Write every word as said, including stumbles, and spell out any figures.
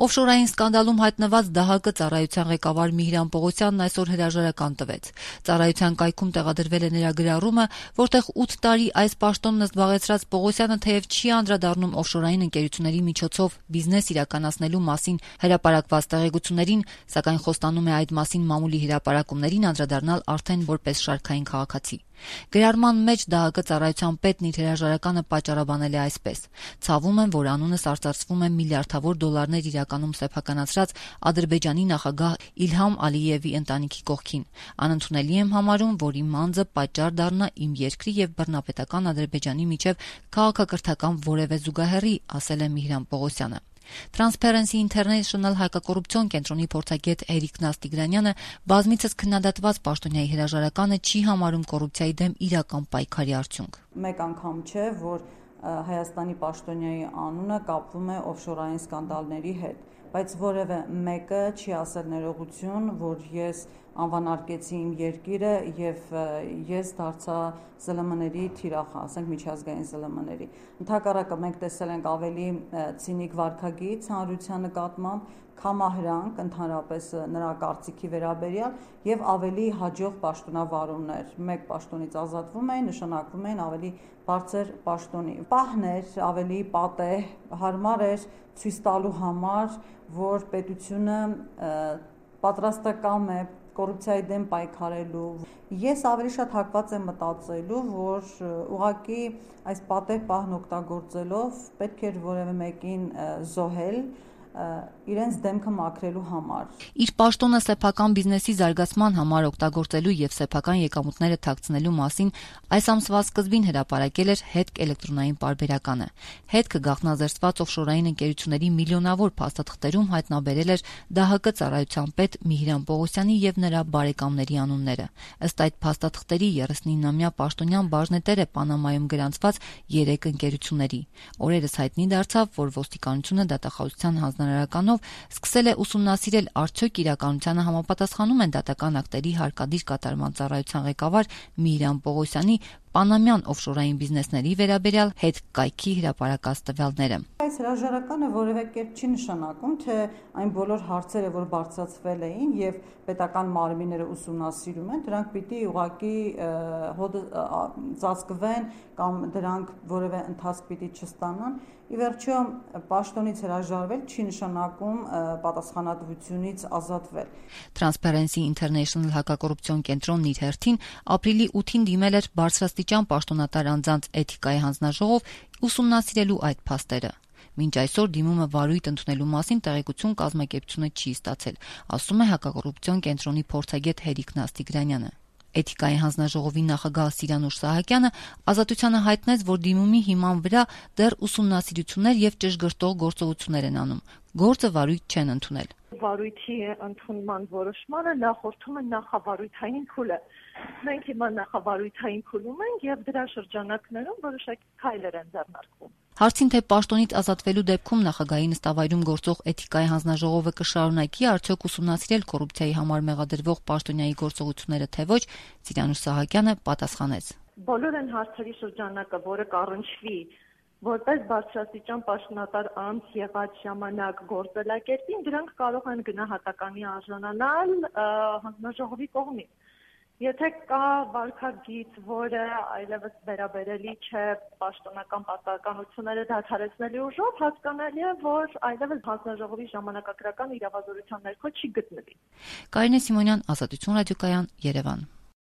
Օֆշորային սկանդալում հայտնված ԴՀԿ ծառայության ղեկավար Միհրան Պողոսյանն այսօր հրաժարական տվեց։ Ծառայության կայքում տեղադրվել է նրա գրառումը, որտեղ ութ տարի այս պաշտոնն զբաղեցրած Պողոսյանը թեև չի անդրադառնում օֆշորային ընկերությունների միջոցով բիզնես իրականացնելու մասին հրապարակված տեղեկություններին, սակայն խոստանում է այդ մասին մամուլի հրապարակումներին անդրադառնալ արդեն որպես շարքային քաղաքացի։ Գրառման մեջ ԴՀԿ ծառայության պետն իր հրաժարականը պատճառաբանել է այսպես. «Ցավում եմ, որ անունս արծարծվում է միլիարդավոր դոլարներ իրականում սեփականացրած Ադրբեջանի նախագահ Իլհամ Ալիևի ընտանիքի կողքին։ Անընդունելի եմ համարում, որ իմ անձը պատճառ դառնա իմ երկրի եւ բռնապետական Ադրբեջանի միջև քաղաքակրթական որևէ զուգահեռի», ասել է Միհրան Պողոսյանը։ Transparency International հայկակոռուպցիոն կենտրոնի փորձագետ Էրիկ Նաստիգրանյանը բազմիցս քննադատված պաշտոնյայի հրաժարականը չի համարում կոռուպցիայի դեմ իրական պայքարի արդյունք։ Մեկ անգամ չէ, որ Հայաստանի պաշտոնյայի անունը կապվում է օֆշորային սկանդալների հետ, բայց որևէ մեկը չի ասել ներողություն, որ ես անվանարկեցի իմ երկիրը եւ ես դարձա ԶԼՄ-ների թիրախ, ասենք միջազգային ԶԼՄ-ների։ Ընդհակառակը մենք տեսել ենք ավելի ցինիկ վարքագիծ հանրության նկատմամբ, կամահրանք ընդհանրապես նրա կարծիքի վերաբերյալ եւ ավելի հաջող պաշտոնավարումներ։ Մեկ պաշտոնից ազատվում էին, նշանակվում էին ավելի բարձր պաշտոնի։ Պահն էր ավելի պատեհ, հարմար էր ցույց տալու համար, որ պետությունը պատրաստակամ է կոռուպցիայի դեմ պայքարելու։ Ես ավելի շատ հակված եմ մտածելու, որ ուղղակի այս պատեհ պահն օգտագործելով պետք էր որևէ մեկին զոհել իրենց դեմքը մաքրելու համար։ Իր պաշտոնը սեփական բիզնեսի զարգացման համար օգտագործելու եւ սեփական եկամուտները թաքցնելու մասին այս ամսվա սկզբին հրապարակել էր հետք էլեկտրոնային պարբերականը։ Հետքը գաղտնազերծված օֆշորային ընկերությունների միլիոնավոր փաստաթղթերում հայտնաբերել էր ԴՀԿ ծառայության պետ Միհրան Պողոսյանի եւ նրա բարեկամների անունները։ Ըստ այդ փաստաթղթերի երեսնինամյա պաշտոնյան բաժնետեր է Պանամայում գրանցված երեք ընկերությունների։ Օրերս հայտնի դարձավ, որ ոստիկանությունը դատախազության հանձնարարականով սկսել է ուսումնասիրել արդյոք իրականությանը համապատասխանում են դատական ակտերի հարկադիր կատարման ծառայության ղեկավար Միհրան Պողոսյանի պանամյան օֆշորային բիզնեսների վերաբերյալ հետք կայքի հրապարակած տվյալները։ Այս հրաժարականը որևէ կերպ չի նշանակում, թե այն բոլոր հարցերը, որ բարձրացվել էին եւ պետական մարմինները ուսումնասիրում են, դրանք պիտի ուղղակի հոդը ծածկվեն կամ դրանք որևէ ընթացք պիտի չստանան։ Ի վերջո պաշտոնից հրաժարվել չի նշանակում պատասխանատվությունից ազատվել։ Transparency International հակակոռուպցիոն կենտրոնն իր հերթին ապրիլի ութին դիմել էր բարձրաստիճան պաշտոնատար անձանց էթիկայի հանձնաժողով ուսումնասիրելու այդ փաստերը։ Մինչ այսօր դիմումը վարույթ ընդունելու մասին տեղեկություն կազմակերպությունը չի ստացել, ասում է հակակոռուպցիոն կենտրոնի փորձագետ Էրիկ Նաստիգրանյանը։ Էթիկայի հանձնաժողովի նախագահ Սիրանուշ Սահակյանը Ազատությանը հայտնեց, որ դիմումի հիման վրա դեռ ուսումնասիրություններ եւ ճշգրտող գործողություններ են անում։ Գործը վարույթ չեն ընդունել։ Վարույթի ընդունման որոշմանը նախորդում է նախավարույթային փուլը։ Մենք հիմա նախավարույթային փուլում ենք եւ դրա շրջանակներում որոշակի քայլեր են ձեռնարկվում։ Հարցին, թե պաշտոնից ազատվելու դեպքում նախագահի նստավայրում գործող էթիկայի հանձնաժողովը կշարունակի արդյոք ուսումնասիրել կոռուպցիայի համար մեղադրվող պաշտոնյայի գործողությունները, թե ոչ, Սիրանուշ Սահակյանը պատասխանեց. Բոլոր այն հարցերի շրջանակը, որը կառնչվի որպես բարձրաստիճան պաշտոնատար անձ եղած ժամանակ գործելակերպին, դրանք կարող են գնահատականի արժանանալ հանձնաժողովի կողմից։ Եթե կա վարքագիծ, որը այլևս վերաբերելի չէ պաշտոնական պարտականությունները դադարեցնելու ուժով, հասկանալի է, որ այլևս հանձնաժողովի ժամանակակրական իրավազորության ներքո չի գտնվի։ Կարինե Սիմոնյան, Ազատություն ռադիոկայան, Երևան։